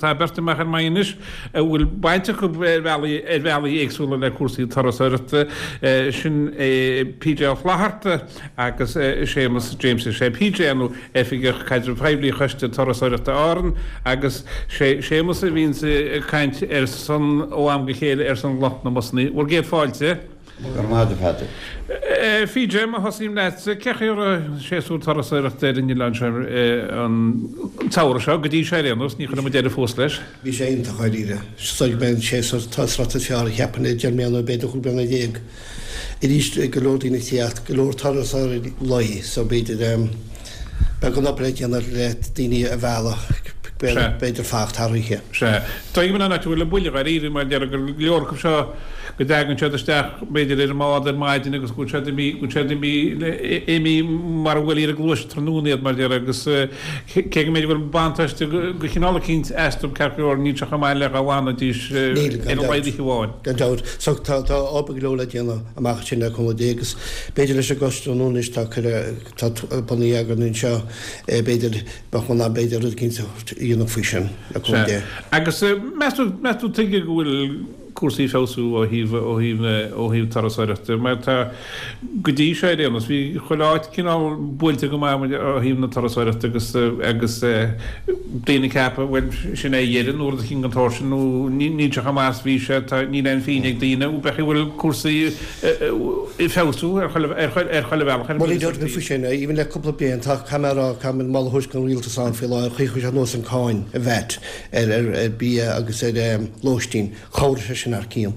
tá beirt amach ar maidin anois a bhfuil baint acu ar bhealaí ar bhealaí éagsúla le cúrsaí turasóireachta, sin é PJ Ó Flatharta agus Séamus James. Is é PJ nó Oifigeach Caidrimh Poiblí Choiste Turasóireachta Árann agus sé Séamus a bhíonns ag caint ar son ó am go chéile ar son lucht na mbusanna. Bhur gcéad fáilte. Go raibh maith agat a Pheadair. PJ, má thosaím leatsa, cén chaoi a raibh séasúr turasóireachta ar an oileán seo an tsamhradh seo, go dtí seo ar aon nós, ní chuirfidh muid deireadh fós leis. Bhí sé iontach, dháiríre. Is dóigh gurb é an séasúr turasóireachta is fearr a cheapfainn le 10 mbliana, b'fhéidir 15 bliana. Arís, go leor daoine ag tíocht, go leor turasóirí lae, so b'fhéidir beagán obair le déanamh le daoine a mhealladh, b'fhéidir fanacht thar oíche. Sea. Tuigim an áit a bhfuil an buille dháiríre mar deir go leor acu seo go dtagann siad isteach b'fhéidir ar an mbád ar maidin agus go bhfuil siad imithe, go bhfuil siad imithe, imithe mar a bhuailfí ar an gcluais tráthnóna iad mar deir agus cé go mb'fhéidir go bhfuil buntáiste de chineál eicínt astu ceart go leor níl sé chomh maith le dá bhfanfaidís ar a laghad oíche amháin. Gan dabht. So tá obair go leor le déanamh amach ansin le cúnamh Dé agus b'fhéidir leis an gcoiste nua anois tá tá bunaithe againn anseo b'fhéidir Bheadh in ann b'fhéidir rud eicínt a dhéanamh faoi sin, le cúnamh Dé. Agus meas tú, meas tú tuige go bhfuil cúrsaí ag feabhsú ó thaobh, ó thaobh na, ó thaobh turasóireachta? Mar tá, go dtí seo ar aon nós, bhí chuile áit cineál buailte go maith ó thaobh na turasóireachta agus, agus daoine ag ceapadh, bhuel, sin é a dheireadh nó rud eicínt den tsórt sin nó níl sé chomh maith is bhí sé, tá, níl aon phingin ag daoine, b'fhéidir go bhfuil cúrsaí ag feabhsú ar chuile bhealach ar Bhuel, ní dúirt mé faoi sin. Even le cúpla bliain, tá, caithfidh mé a rá, caithfidh mé moladh a thabhairt don rialtas ann faoi láthair, chaoi chuir siad anuas an cáin, an VAT, ar ar bia agus ar lóistín. Chabhraigh sé sin thar cionn.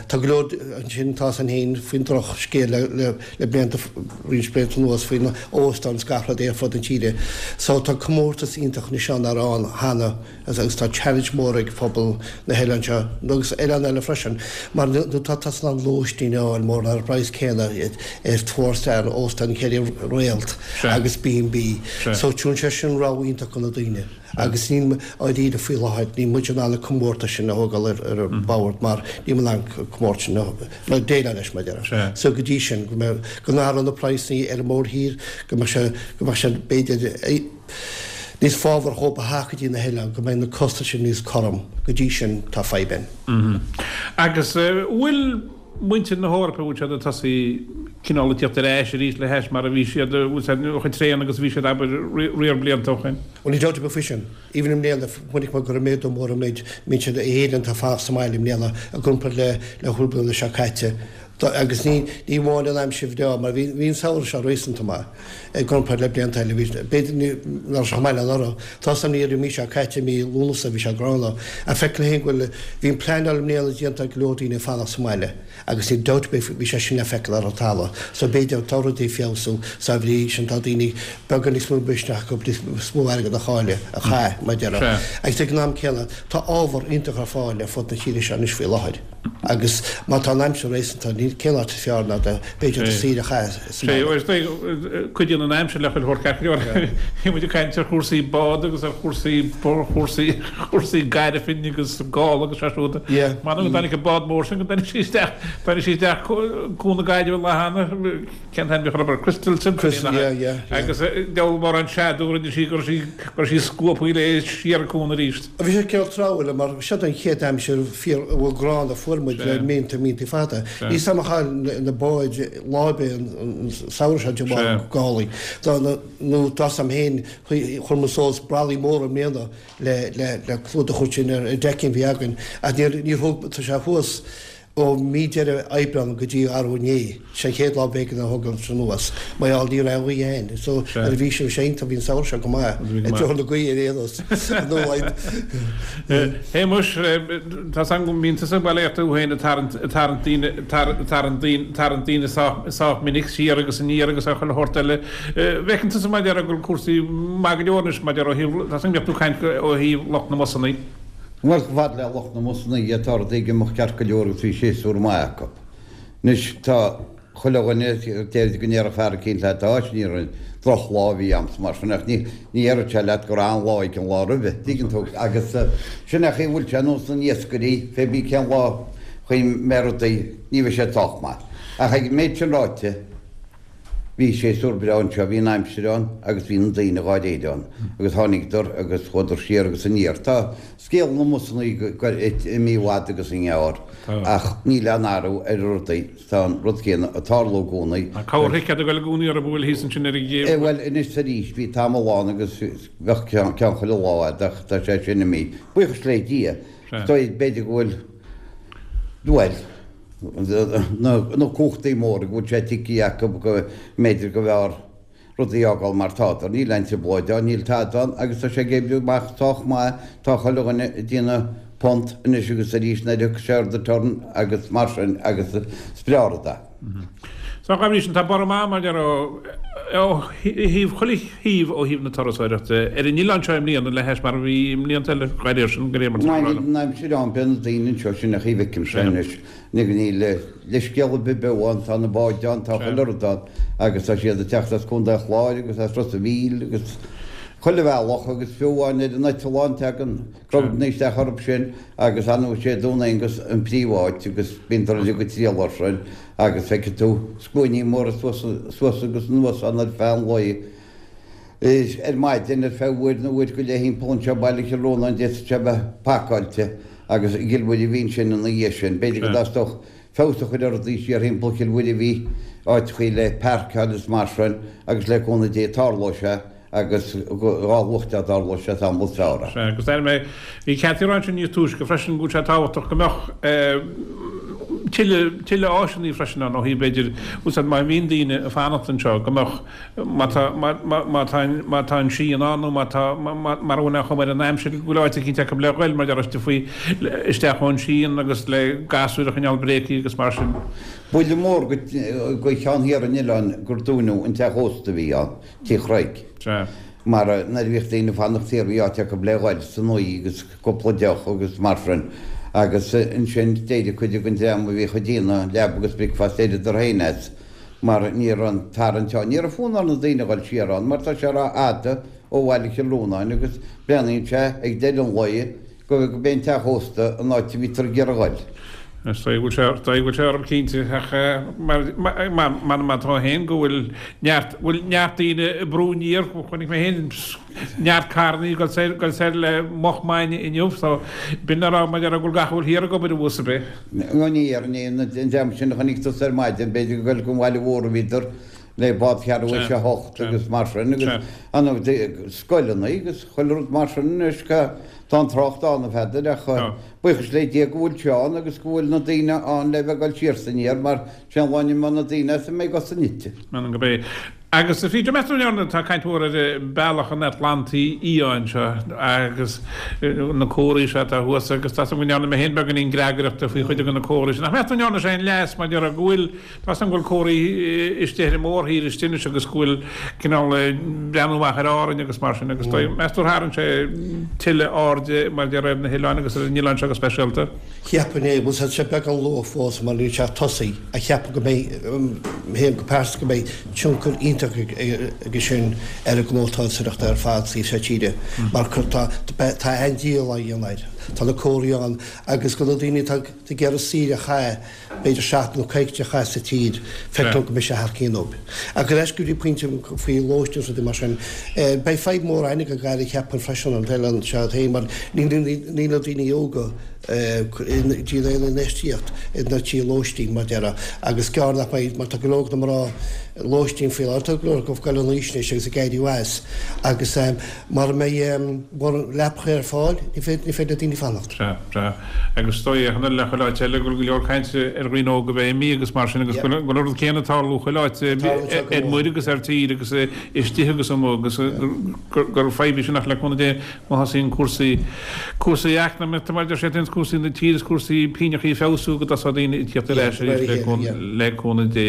Tá go leor ansin, tá san féin faoin drochscéal le le le blianta, roinnt blianta anuas faoi na óstáin is gach rud ar fud na tíre. So tá comórtas iontach anois ann nach raibh ann cheana. Agus tá challenge mór ag phobal na hoileáin seo, agus oileáin eile freisin, mar nuair atá tusa in ann lóistín a fháil mórán ar an bpraghas céanna ar four star óstán ceithre réalt agus B and B. So tugann sé sin rogha iontach do na daoine. Agus níl, dáiríre faoi láthair, níl muid in ann an comórtas sin a thógáil ar an bord mar níl muid in ann an comórtas sin a déileáil leis mar a déarfá. So go dtí sin, go mbeidh, go n-athródh na praghsanna ar an mórthír, go mbeadh sé, go mbeadh sé b'fhéidir, níos fabhraí dhóibh a theacht go dtí na hoileáin, go mbeidh na costais sin níos cothrom. Go dtí sin, tá fadhb ann. Agus an bhfuil muintir na hEorpa, an bhfuil siad ag tosaí cineál ag tíocht ar ais arís le hais mar a bhí siad, an bhfuil siad chomh tréan agus a bhí siad, abair, riar blianta ó shin? Bhuel, níl dabht ar bith faoi sin. Even i mbliana, chonaic mé go raibh méadú mór ar méid muintir na hÉireann atá ag fanacht sa mbaile i mbliana i gcomparáid le le cúpla bliana seo caite. Agus ní ní amháin an aimsir bhreá, mar bhí bhí an samhradh seo réasúnta maith i gcomparáid le blianta eile. Bhí, b'fhéidir ní raibh sé chomh maith le anuraidh. Tá 's agam ní ar an mí seo caite, mí Lúnasa, bhí sé gránna. Ach feictear féin go bhfuil, bhí an pleanáil i mbliana déanta ag go leor daoine fanacht sa mbaile agus níl dabht ar bith bhí sé sin le feiceáil ar an talamh. So b'fhéidir tá rudaí ag feabhsú so dá bhrí sin tá daoine beagán níos mó misneach acu níos mó airgead a chailleadh, a chaitheamh, mar a déarfá. Agus ag an am céanna tá ábhar iontach ar fáil ar fud na tíre seo anois faoi láthair. Agus má tá an aimsir réasúnta, níl cén áit is fearr ná do, b'fhéidir, do saoire a chaitheamh sa mbaile. Sea, is cuidíonn an aimsir le chuile shórt ceart go leor. Bhí muid ag caint ar chúrsaí bád agus ar chúrsaí, chúrsaí, chúrsaí gairfin agus gála agus seo siúd. M'anam go dtáinig an bád mór sin, go dtáinig sí isteach, dtáinig sí isteach Cuan na Gaillimhe an lá cheana, cén t-ainm a bhí air, Crystal Symphony, Crystal, yeah, yeah, yeah. Agus deabhal mórán seadú a rinne sí go raibh sí, go raibh sí scuabtha léi siar an cuan arís. Bhí sé cineál tráthúil mar seo an chéad aimsir fíor ghránna a fuair muid le mblianta, mblianta fada. Níl 's agam ar chaill na báid lá ar bith an samhradh seo de bharr gálaí. Nó tá 's agam féin, chuir muid suas brolaí móra i mbliana le le clúdach a chur sin ar an decking a bhí againn ach níor thóg, tá sé thuas Ó mí deireadh Aibreán go dtí arú inné, sé an chéad lá b'éigean a thógáil anuas, mar gheall ní raibh aon ghaoth ann. So nuair a bhí sé, bhí sé iontach, bhí an samhradh seo go maith, i dtreo na gaoithe ar aon nós, nó laghad. Shéamuis, tá 's agam go mbíonn tusa ag baile tú féin ag tarraingt, ag tarraingt daoine, tarraingt daoine, tarraingt daoine sách, sách minic siar agus aniar agus ar chuile shórt eile. Bhfeiceann tusa mar a déarfá go bhfuil cúrsaí maith go leor anois mar a déarfá ó thaobh, tá 's agam go mbíodh tú ag caint ó thaobh lucht na mbusannaí. Bhuel, chomh fada le lucht na mbusanna dhe, tá rudaí ag imeacht ceart go leor agus bhí séasúr maith acu. Anois, tá chuile dhuine, déarfaidh go ndéarfadh fear eicínt leat, á, sin ní drochlá a bhí a'msa mar sin, ach ní, ní dhéarfadh sé leat go raibh an-lá aige an lá roimhe, dtuigeann tú, agus sin é an chaoi a bhfuil sé, nós na n-iascairí, fé bí cén lá chaoi mbeidh rudaí, ní bheidh siad sách maith. Ach ag an méid sin ráite. Bhí séasúr breá anseo, bhí an aimsir ann agus bhí na daoine dhá réir ann agus tháinigeadar agus chuadar siar agus aniar. Tá scéal na mbusannaí imithe i bhfad agus i ngearr ach níl aon athrú ar rudaí, tá an rud céanna ag tarlú i gcónaí. Tá corrthicéad ag dul i gcónaí orthu a bhfuil thíos ansin ar an gcéibh. Bhuel, anois is arís, bhí tamall ann agus bheadh ceann chuile lá a'd ach tá sé sin imithe. Buíochas le Dia. Is dóigh, b'fhéidir go bhfuil, bhuel, na cumhachtaí móra go bhfuil sé tuigthe acu go mb'fhéidir go mb'fhearr rudaí a fhágáil mar tádar. Níl aon trioblóid ann, níl tada ann agus tá sé ag oibriú amach sách maith. Tá chuile dhuine ag déanamh punt anois agus arís nuair a thiocfas sé ar the turn agus mar sin agus is breá an rud é. So dá bhrí sin tá borradh maith mar déarfá ó thaobh chuile thaobh ó thaobh na turasóireachta ar an oileán seo i mbliana le hais mar a bhí i mblianta eile dá réir sin go réir mar Má níl an aimsir ann beidh na daoine anseo sin a chífimse anois níl leithscéal ar bith beo ann tá na báid ann tá chuile rud ann agus tá siad ag teacht as Contae an Chláir agus as Ros a' Mhíl agus chuile bhealach agus fiú amháin ar an eitleán tagann Crowdanna isteach orthu sin agus ar ndóigh sé Dún Aonghasa an príomháit agus bíonn siad uilig ag triall air sin agus feicfidh tú scuainí móra suas suas agus anuas ann ar feadh an lae. Ar maidin ar feadh uair nó uair go leith thimpeall anseo Baile Chill Rónáin d'fhéadfadh sé bheith pacáilte agus i gCill Mhuirbhigh ansin ina dhiaidh sin. B'fhéidir go dteastódh feabhas a chur ar rudaí siar thimpeall Chill Mhuirbhigh, áiteachaí le pairceáil is mar sin agus le cúnamh Dé tarlóidh sé. agus dhá lucht dá dtarlódh sé tamall is fearr é. Sea, agus dar mé, bhí Cathy ag rá ansin níos túisce freisin go bhfuil sé tábhachtach go mbeadh tuilleadh, tuilleadh áiseanna freisin ann ó thaobh b'fhéidir, úsáid má bhíonn daoine ag fanacht anseo go mbeadh, má tá, má, má, má tá, má tá an síon ann nó má tá, má, má, mara bhfuil aon chuma ar an aimsir go bhfuil áit eicínt acu le ghoil mar a déarfá faoi, isteach ón síon agus le gasúir a choinneáil bréagtha agus mar sin. Buille mór go, go cheann thiar an oileáin gur dúnadh an teach ósta a bhí ann. Tigh Chnoic. Sea. Mar nuair a bhíodh daoine ag fanacht thiar bhí áit acu le ghoil san oíche agus cúpla deoch agus mar sin. Agus ansin d'éirigh cuid den dream a bhíodh ag déanamh leaba agus bricfeasta d'éiríodar féin as mar ní raibh an tarraingt ann. Ní raibh fonn ar na daoine a dhul siar ann mar tá sé rófhada ó bhaile Chill Rónáin agus breathnaíonn sé ag deireadh an lae Go b'é an teach ósta an áit a bhítear ag iarraidh a ghoil. Is dóigh go bhfuil sé, dóigh go bhfuil sé orm cinnte, ach mar, mar, mar, mar atá féin go bhfuil neart, bhfuil neart daoine ag brú aniar, chonaic mé féin neart carrannaí ag dul soir, dul soir le moch maidne inniu, so b'in le rá mar go bhfuil gach a bhfuil thiar ag obair abhus ar bith. Nó ní ar, ní an dream sin a chonaic tusa ar maidin, b'fhéidir ag dul go an bhaile mhór a bhíodar le bád cheathrú théis a hocht agus mar sin agus an, scoileanna agus chuile rud mar sin anois, Tá an trácht ann, a Pheadair, ach buíochas le Dia go bhfuil sé ann agus go bhfuil na daoine ann le bheith ag dul siar 's aniar mar sé an lá a n-imeoidh na daoine as a mbeidh cosa nite. M'anam gurb é. Agus a Phete, meas tú an ndearna, tá caint mhór ar Bealach an Atlantaigh Fhiáin seo agus na comharthaí seo atá thuas agus tá 's agam go ndearna mé féin beagáinín greagaireachta faoi chuid de na comharthaí sin. Ach meas tú an ndearna sé aon leas mar déarfá go bhfuil Tá 's agam go bhfuil comharthaí istigh ar an mórthír istigh anois agus go bhfuil cineál breathnú amach ar Árainn agus mar sin agus meas tú ar tharraing sé tuilleadh airde mar déarfá ar na hoileáin agus ar an oileán seo go speisialta? Cheapfainn é, bhuel tá sé beagán luath fós mar níl sé ach tosaithe ach cheapfainn go mbeidh, féin go pearsanta go mbeidh tionchar iontach aige sin ar an ngnó turasóireachta ar fad sa taobh seo tíre mar tá tá an-díol á dhéanamh air, tá na comharthaí ann agus do na daoine atá ag iarraidh saoire a chaitheamh b'fhéidir seachtain nó coicís a chaitheamh sa tír, feictear dom go mbeidh sé thar cionn dóibh. Ach ar ais go dtí pointe faoi lóistín is rudaí mar sin, beidh fadhb mhór againn ag an Aire cheapfainn freisin an t-oileán seo féin mar níl na daoine óga ag déanamh aon infheistíocht ina dtithe lóistín mar déarfá agus gearr nach mbeidh mar tá go leor de na mná lóistín faoi láthair, tá go leor acu ag dul in aois anois agus ag éirí as agus mura mbeidh mórán leapacha ar fáil ní féidir le daoine fanacht. Sea, sea. Agus is dóigh, chomh le chuile áit eile, go bhfuil go leor cainte ar dhaoine óga a bheith imithe agus mar sin agus go bhfuil an rud céanna ag tarlú chuile áit, ar muir agus ar tír agus istigh agus amuigh agus gur fadhb í sin ach le cúnamh Dé má thosaíonn cúrsaí, cúrsaí eacnamaíochta mar a deir siad féin, cúrsaí na tíre is cúrsaí pínneachaí ag feabhsú go dtosóidh daoine ag tíocht ar ais arís le cúnamh Dé.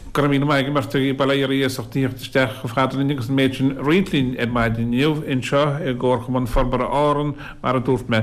Go raibh míle maith ag an mbeirt agaibh, bail ó Dhia oraibh as ucht tíocht isteach chomh fada linn agus an méid sin a roinnt linn ar maidin inniu anseo i gComharchumann Forbartha Árann mar a dúirt mé.